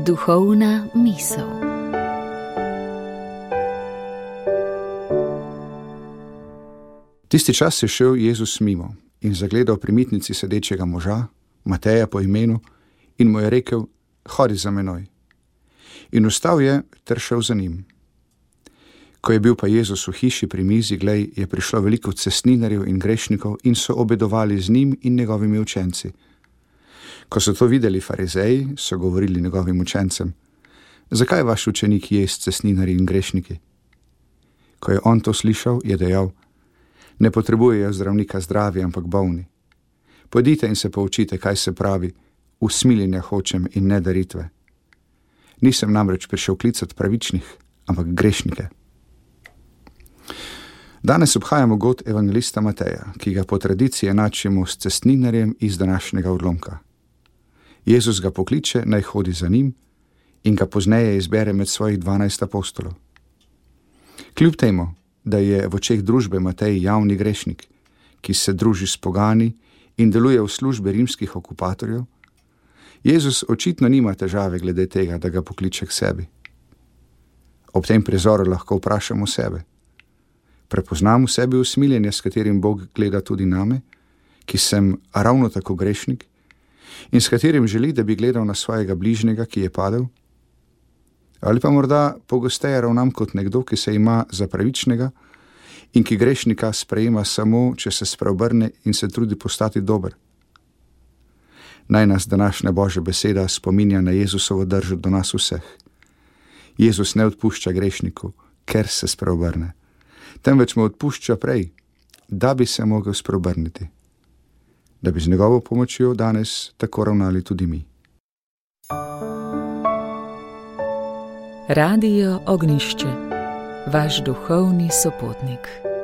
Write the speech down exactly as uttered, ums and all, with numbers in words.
Duhovna misel. Tisti čas je šel Jezus mimo in zagledal pri mitnici sedečega moža, Mateja po imenu, in mu je rekel: hodi za menoj. In vstal je ter šel za njim. Ko je bil pa Jezus v hiši pri mizi, glej, je prišlo veliko cestninarjev in grešnikov in so obedovali z njim in njegovimi učenci. Ko so to videli farizeji, so govorili njegovim učencem: zakaj vaš učenik je s cestninarji in grešniki? Ko je on to slišal, je dejal: ne potrebujejo zdravnika zdravi, ampak bolni. Pojdite in se poučite, kaj se pravi: usmiljenja hočem in ne daritve. Nisem namreč prišel klicati pravičnih, ampak grešnike. Danes obhajamo god evangelista Mateja, ki ga po tradiciji enačimo s cestninarjem iz današnjega odlomka. Jezus ga pokliče, naj hodi za njim, in ga pozneje izbere med svojih dvanajst apostolov. Kljub temu, da je v očeh družbe Matej javni grešnik, ki se druži s pogani in deluje v službi rimskih okupatorjev, Jezus očitno nima težave glede tega, da ga pokliče k sebi. Ob tem prizoru lahko vprašamo sebe: prepoznam v sebi usmiljenje, s katerim Bog gleda tudi name, ki sem ravno tako grešnik in s katerim želi, da bi gledal na svojega bližnjega, ki je padel? Ali pa morda pogosteje ravnam kot nekdo, ki se ima za pravičnega in ki grešnika sprejema samo, če se spreobrne in se trudi postati dober? Naj nas današnja Božja beseda spominja na Jezusovo držo do nas vseh. Jezus ne odpušča grešniku, ker se spreobrne, temveč mu odpušča prej, da bi se mogel spreobrniti, da bi z njegovo pomočjo danes tako ravnali tudi mi. Radio Ognjišče, vaš duhovni sopotnik.